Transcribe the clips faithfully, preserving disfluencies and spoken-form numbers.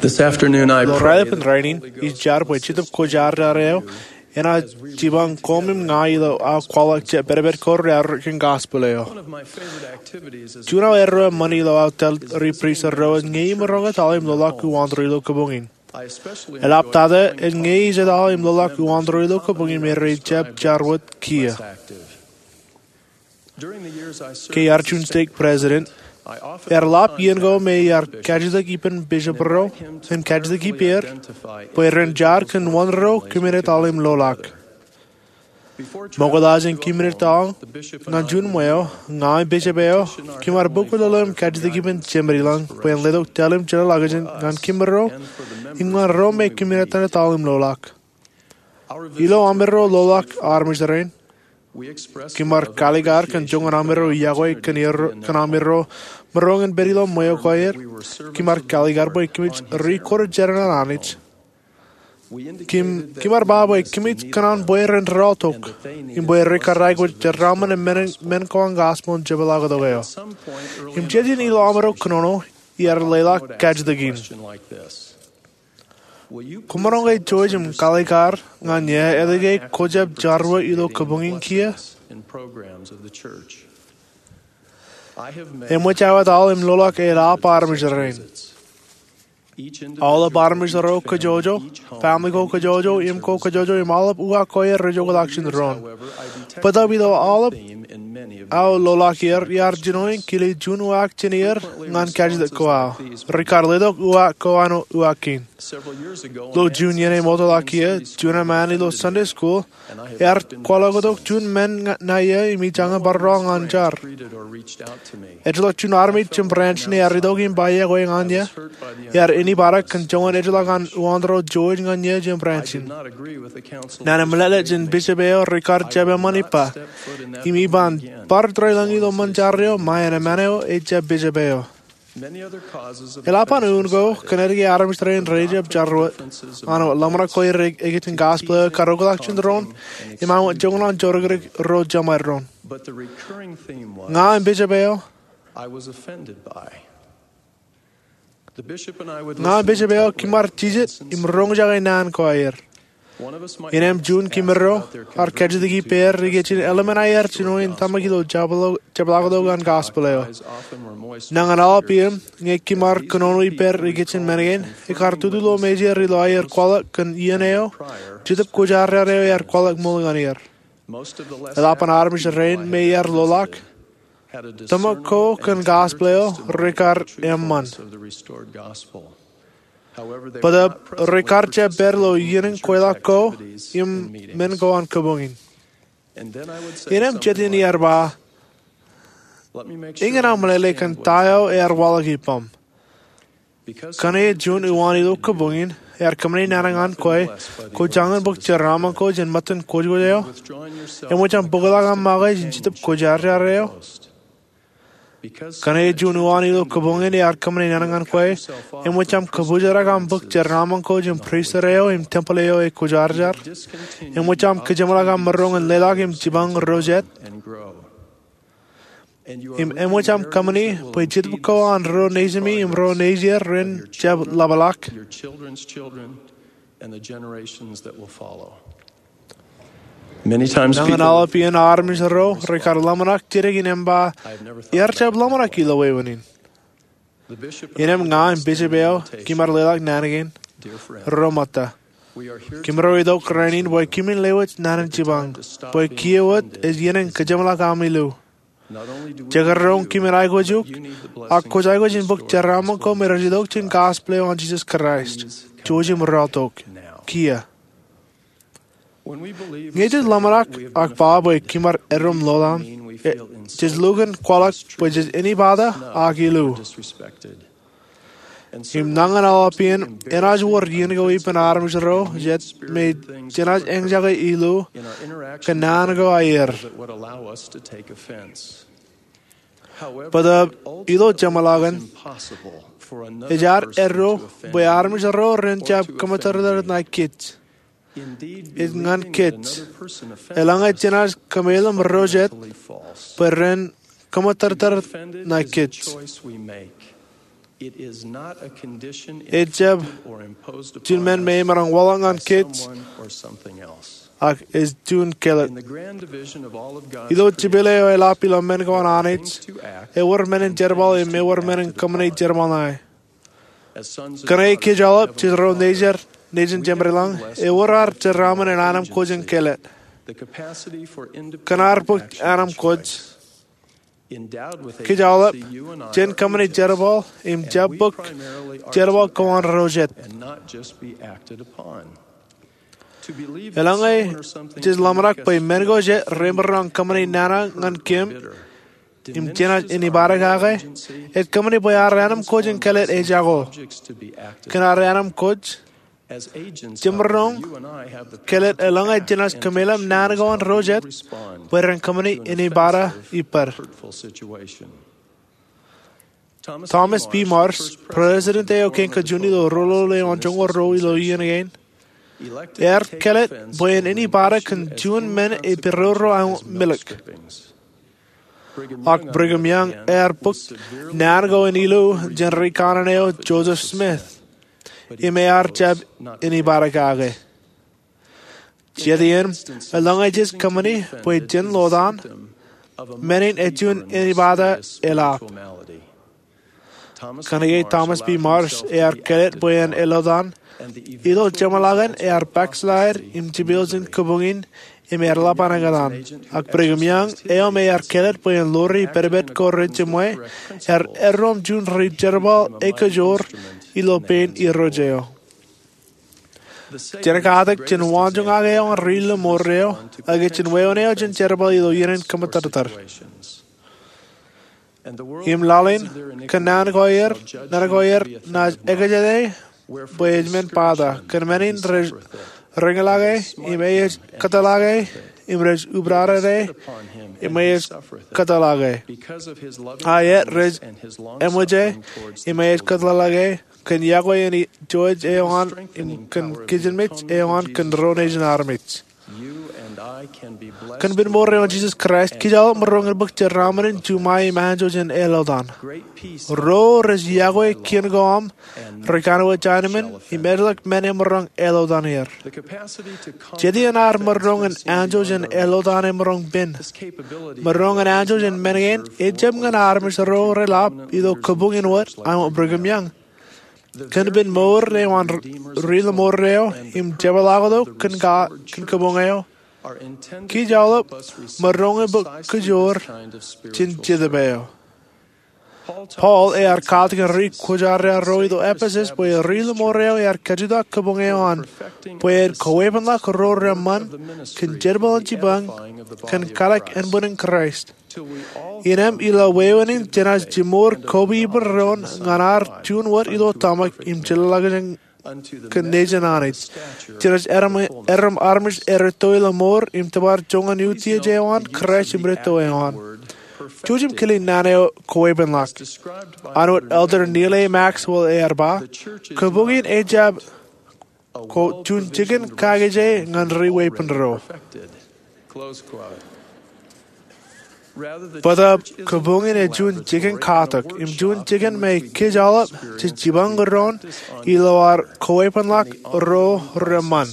This afternoon, I Ilo pray raelepen that rainin, ij jar bwe Jetōb Kwōjarjar eo enaaj jipañ koṃ im ña ilo aō kwaḷọk jab pedped ko rearrot kōn gospel eo. Juon aō erreo eṃṃan ilo aō tōl ri pristut ro ej ñe imaroñ etal im loḷọk uwaantōre ilo kōpoñ in. Eḷaptata ej ñe ij etal im loḷọk uwaantōre ilo kōpoñ in me rej jab jar wōt kiiō. Ke iar juon stake president, ear ḷap iien ko me iar kajjitōk ippān bishop ro im kajjitōk ippāer bwe ren jar kōn wōn ro kōmin etal im loḷọk. Ṃokta jān kōmin etal ñan juon ṃweo, ña im bishop eo kimar bōk lolo im kajjitōk ippān Jemedilōñ bwe en letok tōl im jeḷāḷọkjeṇ ñan kōmro im ñan ro me kōmin etal im loḷọk. Ilo amiro loḷọk armej rein, kimar kalikar kōn joñan amiro yokwe kōn amiro maroñ in pād ilo ṃweo ko aer. Kimar kalikar bwe kōmij ri-kōrā jān an Anij. Kimar ba bwe kōmij kōṇaan bwe ren rọọltok im bwe rekar aikuj jeraaṃṃan men ko an gospel in jepḷaaktok eo. Im jet in ilo amiro kōnono, iar leḷọk kajjitōk in: Kwōmaroñ ke jouj im kalikar ñan iiō etke kwō jab jar wōt ilo kōpoñ in kiiō? Eṃōj aō etal im loḷọk eḷap armej rein. Aolep armej ro kōjọjọ, family ko kōjọjọ, im ko kōjọjọ, im aolep uwaak ko aer rej oktak jān doon. Bōtaab ilo aolep aō loḷọk er, iar jino in kile juon uwaak jān er ñan kajjitōk ko aō. Rekar letok uwaak ko an uwaak kein. Ilo juon iien emootḷọk kiiō, juon eṃṃaan ilo Sunday school ear kwaḷọktok juon men ṇae im ij jañin bar rọọl ñan jar. Ejjeḷọk juon armej jān branch in ear itok im ba iọkwe ñan eō. Ear āinwōt kōn joñan ejjeḷọk an uwaantōre George ñan eō jān branch in. Naan in meḷeḷe jān bishop eo rekar jab eṃṃan ippa. Im iban bar tōre lañ ilo ṃōn jar eo, ṃae en eṃṃan eo ej jab bishop eo. Eḷap an un ko kōn etke armej rein rej jab jar wōt. An wōt ḷōmṇak ko aer ikijjien gospel eo ekar oktak jān doon, im an wōt joñan an jodikdik ro jemād doon. Ña im bishop eo, ña im bishop eo kimar jijet im roñjake naan ko aer. Innem juon kōmro ear kajjitōk ippāer ikijjien eḷmen aer jino in tōmak ilo jepḷaaktok an gospel eo. Nañin aolep iien ñe kimar kōnono ippāer ikijjien men kein, ekar tutu lo mejeir ilo aer kwaḷọk kōn iien eo Jetōb Kwōjarjar eo ear kwaḷọk ṃool ñan er. Eḷap an armej rein me ear loḷọk, tōmak ko kōn gospel eo rekar eṃṃan. Bōtaab rekar jab pād ilo iien in kweilọk ko im men ko an kōpoñ in. Innem jet in iar ba, eñin aō meḷeḷe kōn ta eo ear waḷọk ippaṃ. Kōnke juon uwaan ilo kōpoñ in ear kōṃṃane naan ñan kwe, kwō jañin bōk jeraaṃṃan ko jān ṃōttan kwōjkwōj eo? Eṃōj aṃ bōkḷọk aṃ make jān Jetōb Kwōjarjar eo? Kōnke juon uwaan ilo kōpoñ in ear kōṃṃane naan ñan kwe, eṃōj aṃ kōpoojarak aṃ bōk jeraaṃṃan ko jān pristut eo im tempeḷ eo ekwōjarjar? Eṃōj aṃ kajeṃḷọk aṃ maroñ in leḷọk im jipañ ro jet? Im eṃōj aṃ kōṃṃani bwe jetōb ko an ro nejimi im ro nejier ren jab ḷapḷọk? Nañin aolep iien armej ro rekar ḷōmṇak jidik in ba, iar jab ḷōmṇak ilo wāween in. Innem ña im bishop eo kimar leḷọk naan kein. Ro ṃōtta, kōmro itok rainin bwe kōmin lewōj naan in jipañ, bwe kiiō wōt ej iien in kajeṃḷọk ami lu. Jekdọọn kōmin aikuj eok, ak kwōj aikuj in bōk jeraaṃṃan ko me rej itok jān gospel eo an Jisōs Kraist. Jouj im rọọltok kiiō. Ñe jej ḷōmṇak ak ba bwe kimar eddo im lowaan, jej lukkuun kwaḷọk bwe jej āinwōt pata ak ilu. Im nañin aolep iien enaaj wōr iien ko ippān armej ro jet me jenaaj eñjake ilu kōn naan ko aer. Bōtaab ilo jeṃḷọkin, ejaad eddo bwe armej ro ren jab kōṃōttōrtōr ṇae kōj. Ej ñan kōj. Eḷaññe jenaaj kōmeḷeḷe ro jet bwe ren kōṃōttōrtōr ṇae kōj. Ejjab juon men me emaroñ waḷọk ñan kōj, ak ej juon kāālōt. Ilo jepel eo eḷap ilo men ko an Anij, ewōr men in jerbal im ewōr men in kōṃṃani jerbal ṇae. Kōnke kōj aolep jej ro nejid, nejin jemeḷeḷein, ewōr ad jeraaṃṃan in anemkwōj in kāālōt. Kōn ad bōk anemkwōj, kōj aolep jen kōṃṃani jerbal im jab bōk jerbal ko an ro jet. Eḷaññe jej ḷōmṇak bwe men ko jet remaroñ kōṃṃani nana ñan kōm im jenaaj invited kake, ej kōṃṃani bwe ad anemkwōj in kāālōt ejako. Kōn ad anemkwōj, jemaroñ kāālōt eḷaññe jenaaj kōmeḷeḷe naan ko an ro jet bwe ren kōṃṃani invited ippād. Thomas B. Marsh, president eo kein kajjioñ ilo roñoul eoon joñoul ruo ilo iien kein, ear kāālōt bwe en invited kōn juon men ej peroro aṃ milk. Ak Brigham Young ear bōk naan ko in ilo jān ri kanaan eo Joseph Smith, im ear jab invited kake. Jet iien, eḷaññe jej kōṃṃani bwe jen lotan, men in ej juon invited eḷap. Kōnke Thomas B. Marsh ear kāālōt bwe en elotan, ilo jeṃḷọkin ear backslide im jepel jān kabuñ in im ear ḷap an ekōtan. Ak Brigham Young, eo me ear kāālōt bwe en ḷoori pedped ko rej jiṃwe, ear eddoṃ juon ri jerbal ekajoor ilo pein Irooj eo. Jen katak jān waanjoñak eo an ri lōṃor eo, ak jān wāween eo jān jerbal ilo iien in kōṃṃan tōtōt. Im laḷ in, kōn naan ko aer, naan ko aer naaj ekajete bwe ej men bōktok, kōn men in rej reñlake, im ej kōtḷọke, im rej ubdadede, im ej kōtḷọke. Aet, rej eṃōje, im ej kōtḷọke, kōn yokwe in ijo eo an, im kōn kijenmej eo an kōn ro nejin armej. Kōn ippān mour eo an Jisōs Kraist, kōj aolep maroñ in bōk jeraaṃṃan in juṃae im anjọ jān elotan. Ro rej yokwe kien ko aṃ, ri kanooj anemān, im ejjeḷọk men emaroñ elotan er. Jet iien ad maroñ in anjọ jān elotan emaroñ pen. Maroñ in anjọ jān men kein, ejjab ñan armej ro reḷap ilo kabuñ in wōt aṃ Brigham Young. Kōn ippān mour eo an ri lōṃor eo, im jepḷaaktok kōn ka, kōn kabuñ eo, kōj aolep maroñ in bōk kajoor jān Jetōb eo. Paul ear katakin ri kwōjarjar ro ilo Epesōs bwe ri lōṃor eo ear kajjitōk kabuñ eo an, bwe en kawepenḷọk ro reṃṃan kōn jerbal in jipañ, kōn kalōk ānbwinnin Kraist. Innām ilo wāween in jenaaj jimor koba ippān doon ñan ad juon wōt ilo tōmak im jeḷāḷọkjeṇ kōn nejin Anij. Jenaaj erom, erom armej erūtto ilo mour im tōpar joñan utiej eo an Kraist im rūtto eo an. Jouj im kile naan eo kawepenḷọk. Āinwōt Elder Neal A. Maxwell ear ba, kabuñ in ejjab, quote, juon jikin kakije ñan ri weeppān ro. Bōtaab kabuñ in ej juon jikin katak, im juon jikin me kōj aolep jej jipañ doon ilo ad kawepenḷọk ro reṃṃan.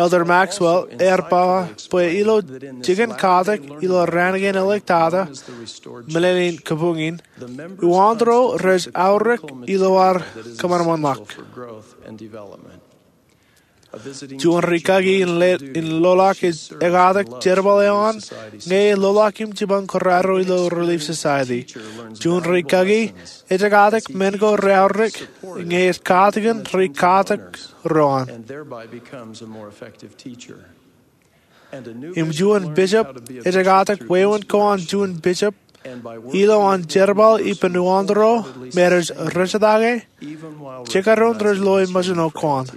Elder Maxwell ear ba bwe ilo jikin katak ilo raan kein āliktata, meḷeḷein kabuñ in, uwaantro rej aorōk ilo ad kōṃanṃanḷọk. Juon rikaki in le, in loḷọk ej ekatak jerbal eo an, ñe ej loḷọk im jipañ kōrā ro ilo Relief Society. Juon rikaki ej ekatak men ko reaorōk, ñe ej katakin ri katak ro an. Im juon bishop ej ekatak wāween ko an juon bishop, ilo an jerbal ippān uwaantro me rej rejjitōk e, jekdọọn rej loe mejān ko an.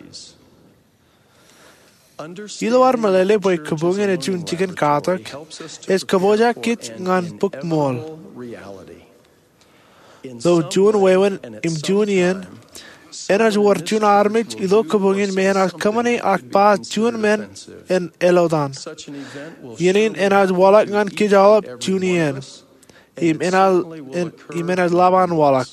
Ilo ad meḷeḷe bwe kabuñ in ej juon jikin katak, ej kōpooj kōj ñan bukmool. Ilo juon wāween im juon iien, enaaj wōr juon armej ilo kabuñ in me enaaj kōṃṃani ak ba juon men en elotan. Iien in enaaj waḷọk ñan kōj aolep juon iien. im enaaj, im enaaj lab an waḷọk.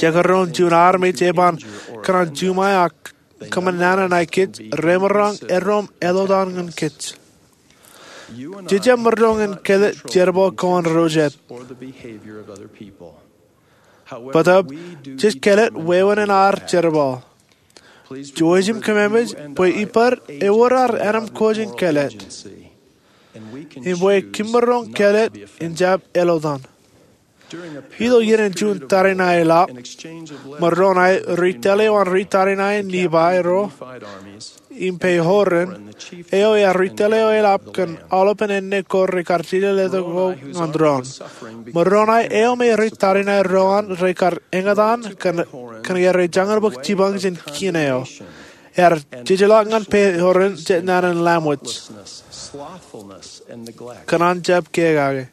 Jekdọọn juon armej eban kōṇaan juṃae ak kōṃṃan naan ṇae kōj, remaroñ erom eḷotan ñan kōj. Jej jab maroñ in kāālōt jerbal ko an ro jet. Bōtab, jej kāālōt wāween in ad jerbal. Jouj im kōmemej bwe ippād ewōr ad ānōm ko jān kāālōt, im bwe kōm maroñ kāālōt in jab eḷotan. Ilo iien in juon tariṇae eḷap, Moroni ritōl eo an ri tariṇae Nifai ro, im Pehoren, eo ear ritōl eo eḷap kōn aolepen āne ko rekar jejeḷā letok ñan doon. Moroni eo me ri tariṇae ro an rekar eñtaan kōn, kōn ke rejañin bōk jipañ jān kien eo. Ear jejeḷā ñan Pehoren jet naan in lamwōj. Kōṇaan jab kōkake.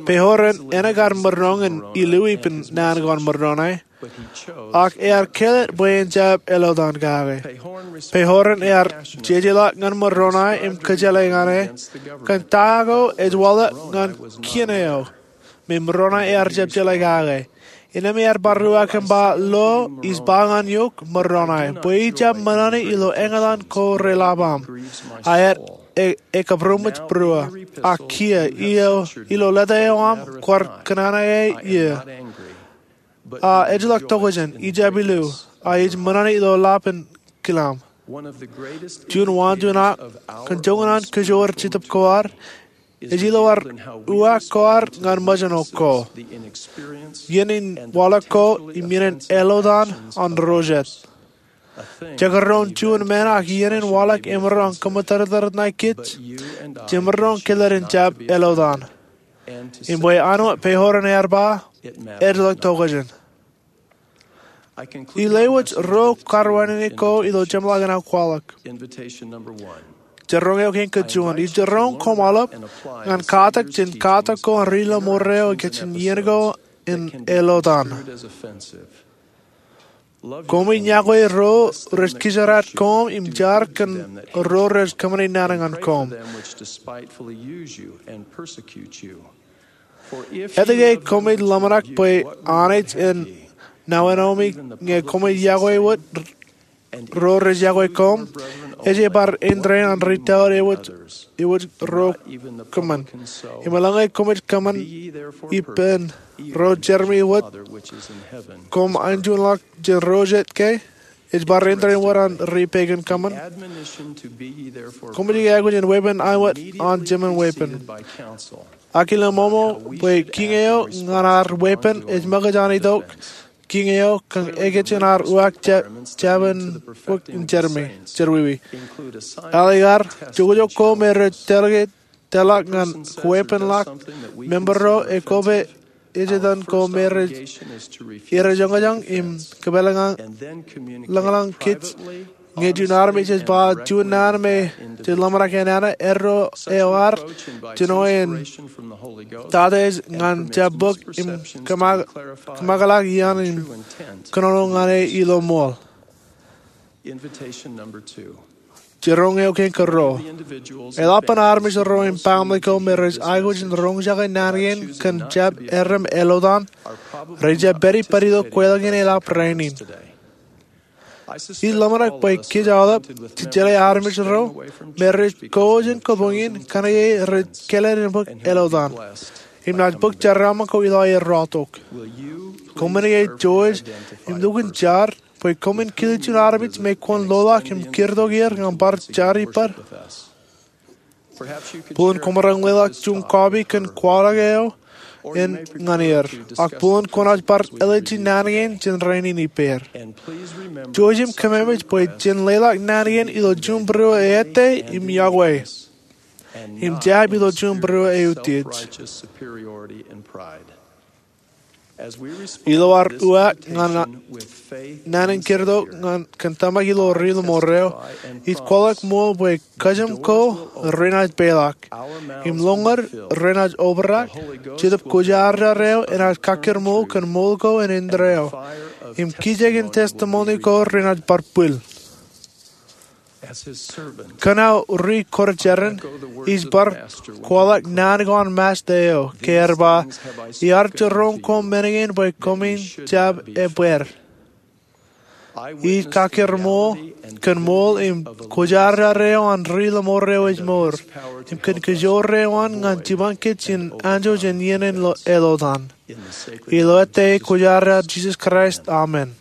Pehoren enaaj kar maroñ in illu ippān naan ko an Moroni, ak ear kāālōt bwe en jab eḷotan kake. Pehoren ear jejeḷā ñan Moroni im kōjeḷā ñan e kōn ta ko ej waḷọk ñan kien eo me Moroni ear jab jeḷā kake. Innām ear bar uwaak im ba, Lo, ij ba ñan eok, Moroni, bwe ij jab ṃōṇōṇō ilo eñtaan ko relabam, a ear e, ekabūroṃōj būruō, ak kiiō, ilo, ilo leta eo aṃ kwaar kōṇaan eo, a ejjeḷọk tokjān, ij jab illu, a ij ṃōṇōṇō ilo lab in kilaṃ. Juon wāween ak kōn joñan an kōjwōj Jetōb ko ad, ej ilo ad uwaak ko ad ñan ṃōjṇọ ko, iien in waḷọk ko im iien in eḷotan an ro jet. Jekdọọn juon men ak iien in waḷọk emaroñ kōṃṃan tōrtōr ṇae kōj, jemaroñ kāālōt in jab eḷotan. Im bwe an wōt Pehoren ear ba, ejjeḷọk tokjān. Ij lewōj ruo karwaineneik ko ilo jeṃḷọkin aō kwaḷọk. Jiroñ eo kein kōjuon, ij jiroñ koṃ aolep ñan katak jān katak ko an ri ḷōṃaro eo ikijjien iien ko in eḷotan. Koṃij yokwe ro rej kijeraad koṃ im jar kōn ro rej kōṃṃani naan ñan koṃ. Etke koṃij ḷōmṇak bwe Anij en nāwenomi ñe koṃij yokwe wōt ro rej yokwe koṃ? Ej bar indein an ri tōl ewōj, ewōj ro kōṃṃan. Im eḷaññe koṃij kōṃṃan ippān ro jermi wōt, koṃ enjeḷọk jān ro jet ke? Ej bar indein wōt an ri pegan kōṃṃan. Koṃij aikuj in weeppān āinwōt an jemān weeppān. Ak ilo ṃoṃo bwe kiiñ eo ñan ad weeppān ej ṃōkaj an itok kiiñ eo kōn ekōjin ad uwaak jab, jabōn bōk in jermi, jerwiwi. Ālikin ad, jokjok ko me rej tōl ke tōl ḷọk ñan kweeppān ḷọk, member ro, ekoba ejetan ko me rej, rej eñjāñā im kōpeḷḷọk, ḷōñḷọk kōj, ñe juon armej ej ba juon naan me jej ḷōmṇak en nana, erro eo ad jino en tata ej ñan jab bōk im kōṃakḷọk iaan im kōnono ñan e ilo ṃool. Jiroñ eo kein kōruo. Eḷap an armej ro im family ko me rej aikuj in roñjake naan kein kōn jab erom eḷotan, rej jab pād ippād ilo kweilọk in eḷap rainin. Ij ḷōmṇak bwe kōj aolep jej jeḷā armej ro me rej kōj in kōpoñ in kōnke rej kāālōt in bōk eḷotan. Im naaj bōk jeraaṃṃan ko ilo aer rọọltok. Koṃwin itok im lukkuun jar bwe koṃwin kile juon armej me kwōn loḷọk im kūrtok er ñan bar jar ippād? Buḷōn koṃ maroñ leḷọk juon kọọpi kōn kwaḷọk eo in ñan er. Ak buḷōn kwōnaaj bar āliji naan kein jān rainin ippāer. Jouj im kōmemej bwe jen leḷọk naan kein ilo juon būruō ettā im yokwe, im jab ilo juon būruō eutiej. Ilo ad uwaak ñan naan in kūrtok ñan kōn tōmak ilo ri ḷōṃaro, ij kwaḷọk ṃool bwe kōjām ko renaaj peḷḷọk, im lọñiid renaaj obrak, Jetōb Kwōjarjar eo enaaj kakkōṃṃan kōn ṃool ko en indeeo, im kijek in testimony ko renaaj bar bwil. Kōn aō ri kwōjarjar in, ij bar kwaḷọk naan ko an Master eo, ke ear ba, iar jiroñ koṃ men kein bwe koṃwin jab ebbeer. Ij kakkōṃṃan kōn ṃool im kwōjarjar eo an ri ḷōṃarerein eo ej mour, im kōn kōjoor eo an ñan jipañ kōj in anjọ jān iien in eḷotaan. Ilo etaer Kwōjarjar Jisōs Kraist, amen.